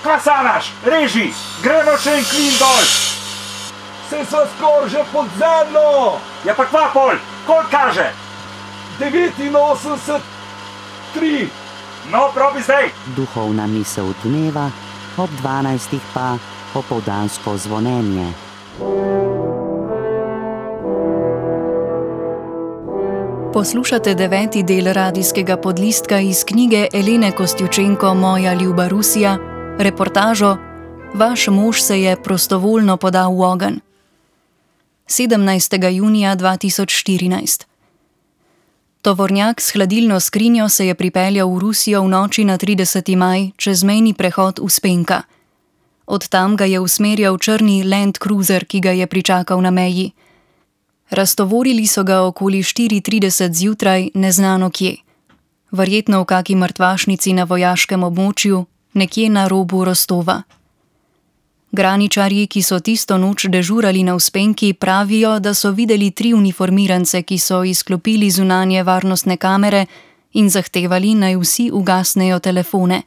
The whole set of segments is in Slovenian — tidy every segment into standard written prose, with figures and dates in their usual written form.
Kaj sanaš? Reži, gremo še en klin dol. Se sva skoraj že pod zemljo. Ja pa kva pol, koliko kaže? 89,3. No, probi zdaj. Duhovna misel dneva, ob 12 pa opoldansko zvonjenje. Poslušate 9. del radijskega podlistka iz knjige Elene Kostjučenko Moja ljuba Rusija, reportažo Vaš mož se je prostovoljno podal v ogenj. 17. junija 2014. Tovornjak s hladilno skrinjo se je pripeljal v Rusijo v noči na 30. maj čez mejni prehod Uspenka. Od tam ga je usmerjal črni Land Cruiser, ki ga je pričakal na meji. Raztovorili so ga okoli 4:30 zjutraj, neznano kje. Verjetno v kaki mrtvašnici na vojaškem območju, nekje na robu Rostova. Graničarji, ki so tisto noč dežurali na Uspenki, pravijo, da so videli 3 uniformirance, ki so izklopili zunanje varnostne kamere in zahtevali, naj vsi ugasnejo telefone.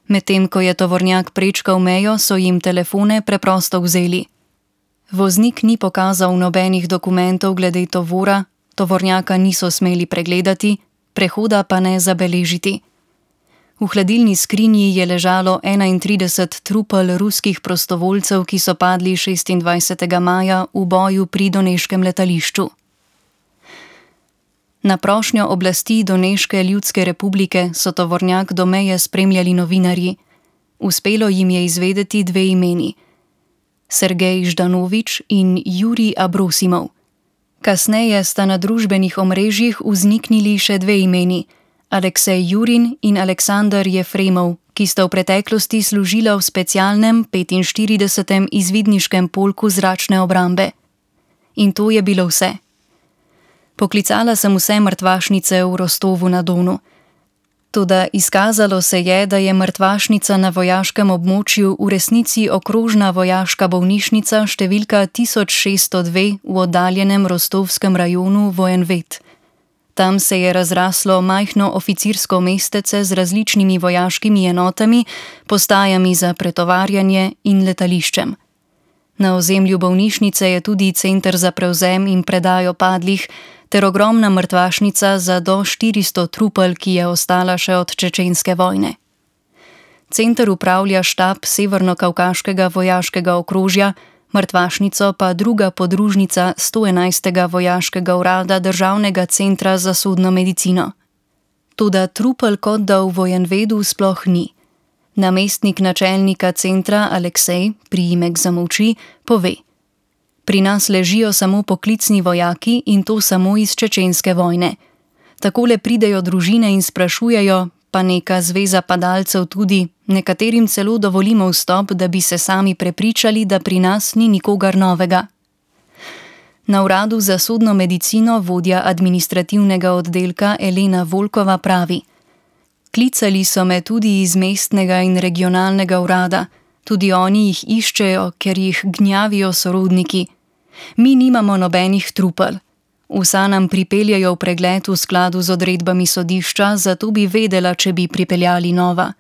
Medtem ko je tovornjak prečkal mejo, so jim telefone preprosto vzeli. Voznik ni pokazal nobenih dokumentov glede tovora, tovornjaka niso smeli pregledati, prehoda pa ne zabeležiti. V hladilni skrinji je ležalo 31 trupel ruskih prostovoljcev, ki so padli 26. maja v boju pri doneškem letališču. Na prošnjo oblasti Doneške ljudske republike so tovornjak do meje spremljali novinarji. Uspelo jim je izvedeti 2 imeni: Sergej Ždanovič in Jurij Abrosimov. Kasneje sta na družbenih omrežjih vzniknili še 2 imeni: Aleksej Jurin in Aleksandar Jefremov, ki sta v preteklosti služila v specialnem 45. izvidniškem polku zračne obrambe. In to je bilo vse. Poklicala sem vse mrtvašnice v Rostovu na Donu. Toda izkazalo se je, da je mrtvašnica na vojaškem območju v resnici okrožna vojaška bolnišnica številka 1602 v oddaljenem rostovskem rajonu Vojenvet. Tam se je razraslo majhno oficirsko mestece z različnimi vojaškimi enotami, postajami za pretovarjanje in letališčem. Na ozemlju bolnišnice je tudi center za prevzem in predajo padlih ter ogromna mrtvašnica za do 400 trupel, ki je ostala še od čečenske vojne. Center upravlja štab Severno-Kavkaškega vojaškega okrožja, mrtvašnico pa druga podružnica 111. vojaškega urada Državnega centra za sodno medicino. Toda trupel kot da v Vojenvedu sploh ni. Namestnik načelnika centra Aleksej, priimek zamolči, pove: Pri nas ležijo samo poklicni vojaki in to samo iz čečenske vojne. Takole pridejo družine in sprašujejo, pa neka zveza padalcev tudi, nekaterim celo dovolimo vstop, da bi se sami prepričali, da pri nas ni nikogar novega. Na uradu za sodno medicino vodja administrativnega oddelka Elena Volkova pravi: Klicali so me tudi iz mestnega in regionalnega urada, tudi oni jih iščejo, ker jih gnjavijo sorodniki. Mi nimamo nobenih trupel. Vsa nam pripeljajo v pregled v skladu z odredbami sodišča, zato bi vedela, če bi pripeljali nova.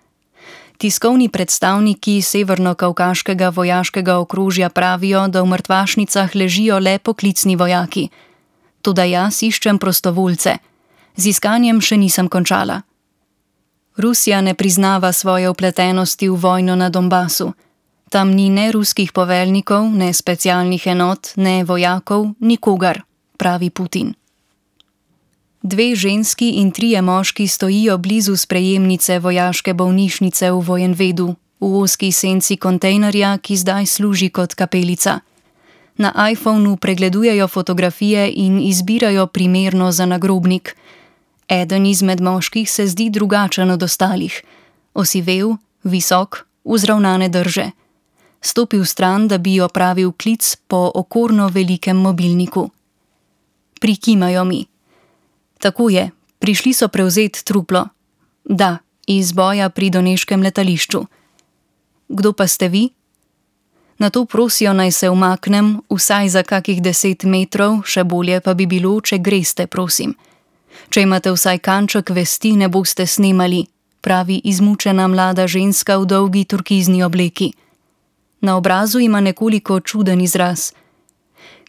Tiskovni predstavniki Severno-Kavkaškega vojaškega okrožja pravijo, da v mrtvašnicah ležijo le poklicni vojaki. Toda jaz iščem prostovoljce. Z iskanjem še nisem končala. Rusija ne priznava svoje vpletenosti v vojno na Donbasu. Tam ni ne ruskih poveljnikov, ne specialnih enot, ne vojakov, nikogar, pravi Putin. 2 ženski in 3 moški stojijo blizu sprejemnice vojaške bolnišnice v Vojenvedu, v ozki senci kontejnerja, ki zdaj služi kot kapelica. Na iPhonu pregledujejo fotografije in izbirajo primerno za nagrobnik. Eden izmed moških se zdi drugačen od ostalih. Osivel, visok, vzravnane drže. Stopil stran, da bi opravil klic po okorno velikem mobilniku. Prikimajo mi. Tako je, prišli so prevzeti truplo. Da, iz boja pri doneškem letališču. Kdo pa ste vi? Nato prosijo, naj se umaknem, vsaj za kakih 10 metrov, še bolje pa bi bilo, če greste, prosim. Če imate vsaj kanček vesti, ne boste snemali. pravi izmučena mlada ženska v dolgi turkizni obleki. Na obrazu ima nekoliko čuden izraz.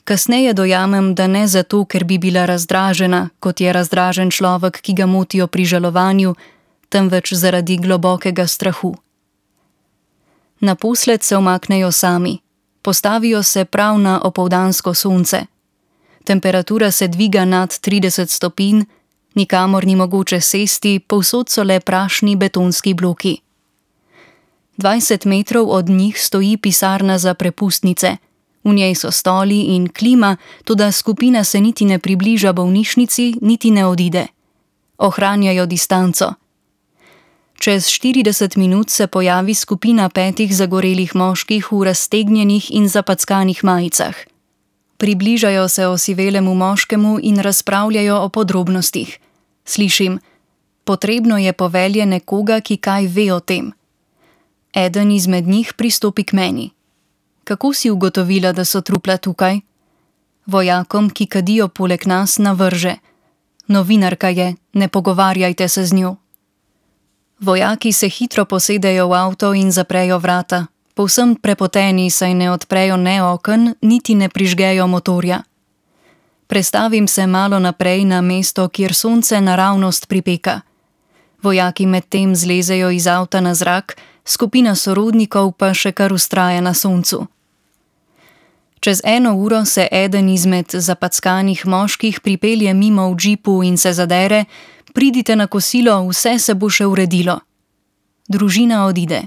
Kasneje dojamem, da ne zato, ker bi bila razdražena, kot je razdražen človek, ki ga motijo pri žalovanju, temveč zaradi globokega strahu. Naposled se umaknejo sami. Postavijo se prav na opoldansko sonce. Temperatura se dviga nad 30 stopinj, nikamor ni mogoče sesti, povsod so le prašni betonski bloki. 20 metrov od njih stoji pisarna za prepustnice. V njej so stoli in klima, toda skupina se niti ne približa bolnišnici, niti ne odide. Ohranjajo distanco. Čez 40 minut se pojavi skupina 5 zagorelih moških v raztegnjenih in zapackanih majicah. Približajo se osivelemu moškemu in razpravljajo o podrobnostih. Slišim, potrebno je povelje nekoga, ki kaj ve o tem. Eden izmed njih pristopi k meni. Kako si ugotovila, da so trupla tukaj? Vojakom, ki kadijo poleg nas, navrže. Novinarka je, ne pogovarjajte se z njo. Vojaki se hitro posedejo v avto in zaprejo vrata. Povsem prepoteni, saj ne odprejo ne oken, niti ne prižgejo motorja. Prestavim se malo naprej na mesto, kjer sonce naravnost pripeka. Vojaki medtem zlezejo iz avta na zrak, skupina sorodnikov pa še kar vztraja na soncu. Čez 1 uro se eden izmed zapackanih moških pripelje mimo v džipu in se zadere: pridite na kosilo, vse se bo še uredilo. Družina odide.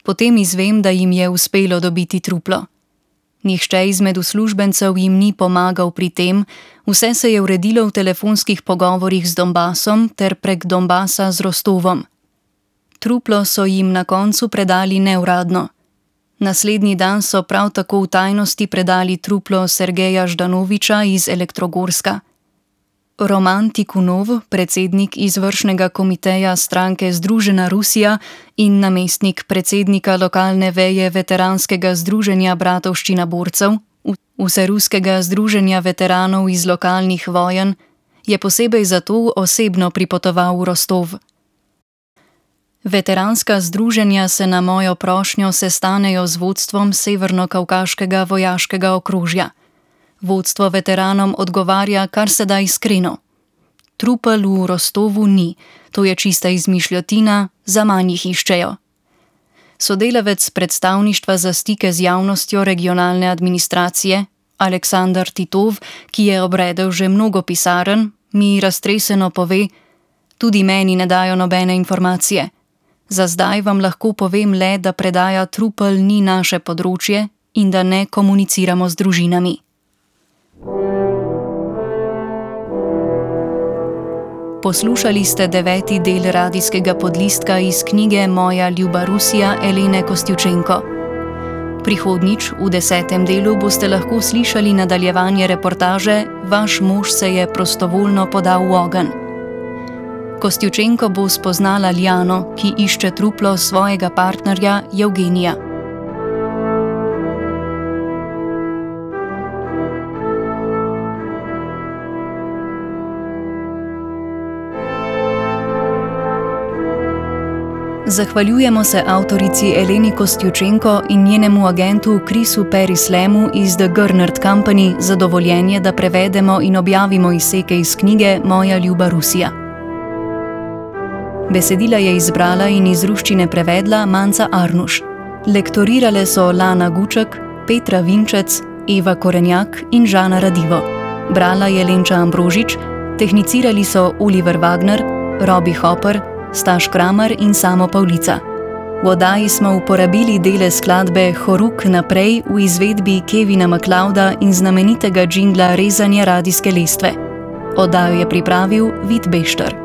Potem izvem, da jim je uspelo dobiti truplo. Nihče izmed uslužbencev jim ni pomagal pri tem, vse se je uredilo v telefonskih pogovorih z Donbasom ter prek Donbasa z Rostovom. Truplo so jim na koncu predali neuradno. Naslednji dan so prav tako v tajnosti predali truplo Sergeja Ždanoviča iz Elektrogorska. Roman Tikunov, predsednik izvršnega komiteja stranke Združena Rusija in namestnik predsednika lokalne veje veteranskega združenja Bratovščina borcev, vseruskega združenja veteranov iz lokalnih vojen, je posebej zato osebno pripotoval v Rostov. Veteranska združenja se na mojo prošnjo sestanejo z vodstvom Severno-Kavkaškega vojaškega okrožja. Vodstvo veteranom odgovarja kar se da iskreno. Trupel v Rostovu ni, to je čista izmišljotina, zaman jih iščejo. Sodelavec predstavništva za stike z javnostjo regionalne administracije, Aleksandar Titov, ki je obredel že mnogo pisarn, mi raztreseno pove: tudi meni ne dajo nobene informacije. Za zdaj vam lahko povem le, da predaja trupel ni naše področje in da ne komuniciramo z družinami. Poslušali ste 9. del radijskega podlistka iz knjige Moja ljuba Rusija Elene Kostjučenko. Prihodnjič, v 10. delu, boste lahko slišali nadaljevanje reportaže Vaš mož se je prostovoljno podal v ogenj. Kostjučenko bo spoznala Ljano, ki išče truplo svojega partnerja Evgenija. Zahvaljujemo se avtorici Eleni Kostjučenko in njenemu agentu Chrisu Perislemu iz The Gernert Company za dovoljenje, da prevedemo in objavimo izseke iz knjige Moja ljuba Rusija. Besedila je izbrala in iz ruščine prevedla Manca Arnuš. Lektorirale so Lana Guček, Petra Vinčec, Eva Korenjak in Žana Radivo. Brala je Lenča Ambrožič, tehnicirali so Oliver Wagner, Robi Hopper, Staš Kramer in Samo Pavlica. V oddaji smo uporabili dele skladbe Horuk naprej v izvedbi Kevina MacLeoda in znamenitega džingla Rezanje radijske lestve. Oddajo je pripravil Vid Bešter.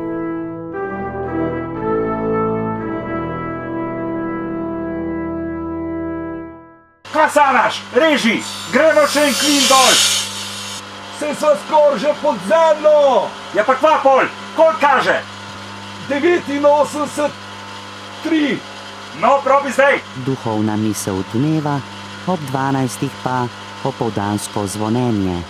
Kasanaš, reži, gremo še en klin dol. Se sva skoraj že pod zemljo! Ja pa kva pol, koliko kaže? 89,3. No, probi zdaj. Duhovna misel dneva, ob 12. pa opoldansko zvonjenje.